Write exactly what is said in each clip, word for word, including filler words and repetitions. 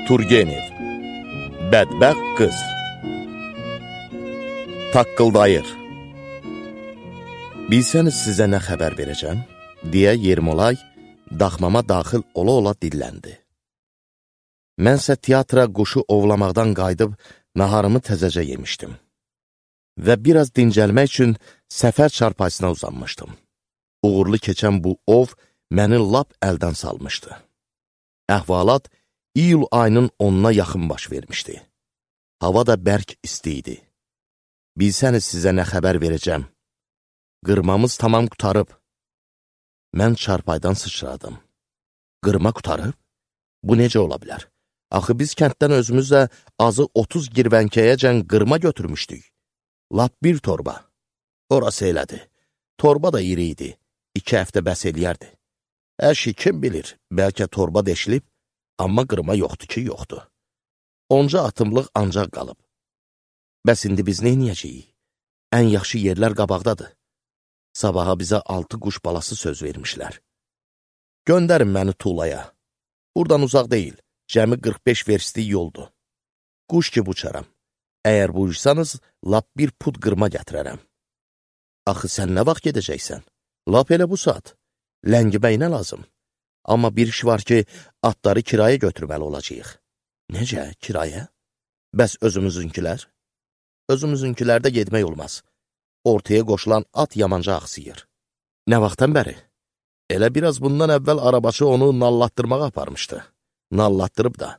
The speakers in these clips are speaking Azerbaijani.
Turgenev Bədbəxt qız Taqqıldayır. Bilsəniz sizə nə xəbər verəcəm? Deyə Yermolay daxmama daxil ola-ola dilləndi. Mənsə teatra quşu ovlamaqdan qayıdıb naharımı təzəcə yemişdim. Və biraz dincəlmək üçün səfər çarpayısına uzanmışdım. Uğurlu keçən bu ov məni lap əldən salmışdı. Əhvalat iyul ayının onuna yaxın baş vermişdi. Hava da bərk isti idi. Bilsəniz sizə nə xəbər verəcəm? Qırmamız tamam qutarıb. Mən çarpaydan sıçradım. Qırma qutarıb? Bu necə ola bilər? Axı biz kənddən özümüzlə azı otuz girvənkəyəcən qırma götürmüşdük. Lap bir torba. Orası elədi. Torba da iri idi. İki həftə bəs eləyərdi. Hər şey kim bilir, bəlkə torba deşilib, amma qırma yoxdur ki, yoxdur. Onca atımlıq ancaq qalıb. Bəs indi biz neyniyəcəyik? Ən yaxşı yerlər qabaqdadır. Sabaha bizə altı quş balası söz vermişlər. Göndərin məni Tulaya. Buradan uzaq deyil, cəmi qırx beş verstlik yoldur. Quş ki uçaram. Əgər buyursanız, lap bir pud qırma gətirərəm. Axı sən nə vaxt gedəcəksən? Lap elə bu saat. Ləngiməyinə lazım. Amma bir iş var ki, atları kiraya götürməli olacaq. Necə, kiraya? Bəs özümüzünkilər? Özümüzünkilərdə getmək olmaz. Ortaya qoşulan at yamanca axsıyır. Nə vaxtdan bəri? Elə biraz bundan əvvəl arabaçı onu nallatdırmağa aparmışdı. Nallatdırıb da.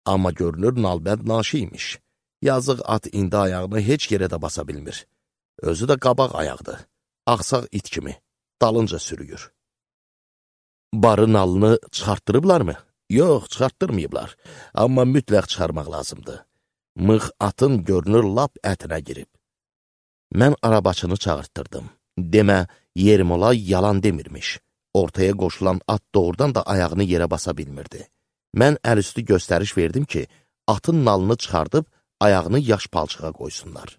Amma görünür nalbənd naşı imiş. Yazıq at indi ayağını heç yerə də basa bilmir. Özü də qabaq ayaqdır. Ağsaq it kimi. Dalınca sürüyür. Barı nalını çıxartdırıblarmı? Yox, çıxartdırmayıblar. Amma mütləq çıxarmaq lazımdır. Mıx atın görünür lap ətinə girib. Mən arabaçını çağırtdırdım. Demə, Yermolay yalan demirmiş. Ortaya qoşulan at doğrudan da ayağını yerə basa bilmirdi. Mən əlüstü göstəriş verdim ki, atın nalını çıxardıb ayağını yaş palçığa qoysunlar.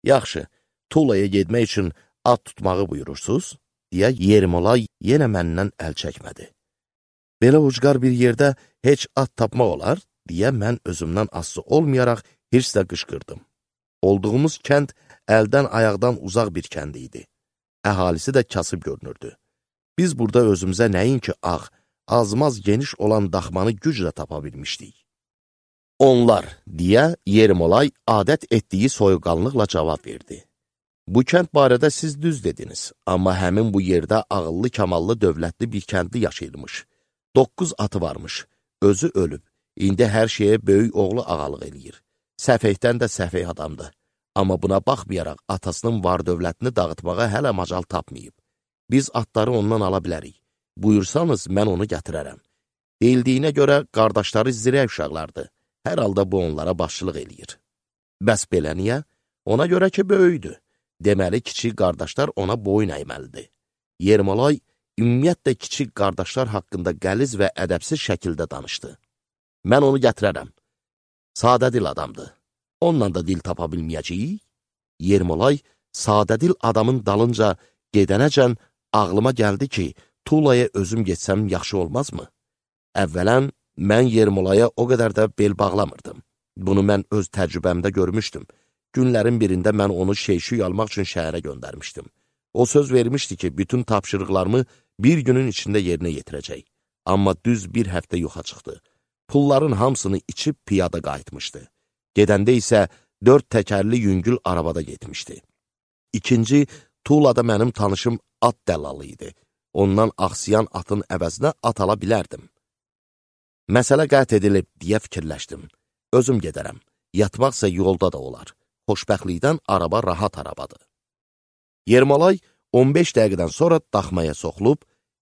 Yaxşı, Tulaya getmək üçün at tutmağı buyurursuz, deyə Yermolay yenə məndən əl çəkmədi. Belə ucqar bir yerdə heç at tapmaq olar, deyə mən özümdən asılı olmayaraq hirslə qışqırdım. Olduğumuz kənd əldən ayaqdan uzaq bir kənd idi. Əhalisi də kasıb görünürdü. Biz burada özümüzə nəinki ağ, azmaz geniş olan daxmanı güclə tapa bilmişdik. Onlar, deyə Yermolay adət etdiyi soyuqqanlıqla cavab verdi. Bu kənd barədə siz düz dediniz, amma həmin bu yerdə ağıllı, kamallı, dövlətli bir kəndli yaşayırmış. Doqquz atı varmış, özü ölüb, indi hər şeyə böyük oğlu ağalıq eləyir. Səfehdən də səfeh adamdır. Amma buna baxmayaraq atasının var dövlətini dağıtmağa hələ macal tapmayıb. Biz atları ondan ala bilərik. Buyursanız, mən onu gətirərəm. Deyildiyinə görə qardaşları zirə uşaqlardır. Hər halda bu onlara başçılıq eləyir. Bəs belə niyə? Ona görə ki, böyüdür. Deməli, kiçik qardaşlar ona boyun əyməlidir. Yermolay, ümumiyyətlə kiçik qardaşlar haqqında qəliz və ədəbsiz şəkildə danışdı. Mən onu gətirərəm. Sadə dil adamdır. Onunla da dil tapa bilməyəcəyik. Yermolay, sadə dil adamın dalınca gedənəcən ağlıma gəldi ki, Tulaya özüm getsəm yaxşı olmazmı? Əvvələn, mən Yermolaya o qədər də bel bağlamırdım. Bunu mən öz təcrübəmdə görmüşdüm. Günlərin birində mən onu şeyşuy almaq üçün şəhərə göndərmişdim. O söz vermişdi ki, bütün tapşırıqlarımı bir günün içində yerinə yetirəcək. Amma düz bir həftə yoxa çıxdı. Pulların hamısını içib piyada qayıtmışdı. Gedəndə isə dörd təkərli yüngül arabada getmişdi. İkinci, Tulada mənim tanışım at dəllalı idi. Ondan axsiyan atın əvəzinə at ala bilərdim. Məsələ qət edilib, deyə fikirləşdim. Özüm gedərəm. Yatmaqsa yolda da olar. Xoşbəxtlikdən araba rahat arabadır. Yermolay on beş dəqiqədən sonra daxmaya soxulub,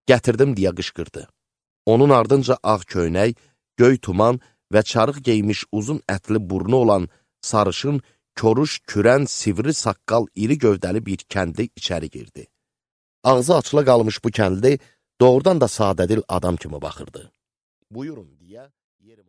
gətirdim deyə qışqırdı. Onun ardınca ağ köynək, göy tuman və çarıq geymiş uzun ətli burnu olan sarışın, koruş, kürən, sivri saqqal, iri gövdəli bir kəndli içəri girdi. Ağzı açıla qalmış bu kəndli doğrudan da sadədil adam kimi baxırdı. Buyurun deyə Yermolay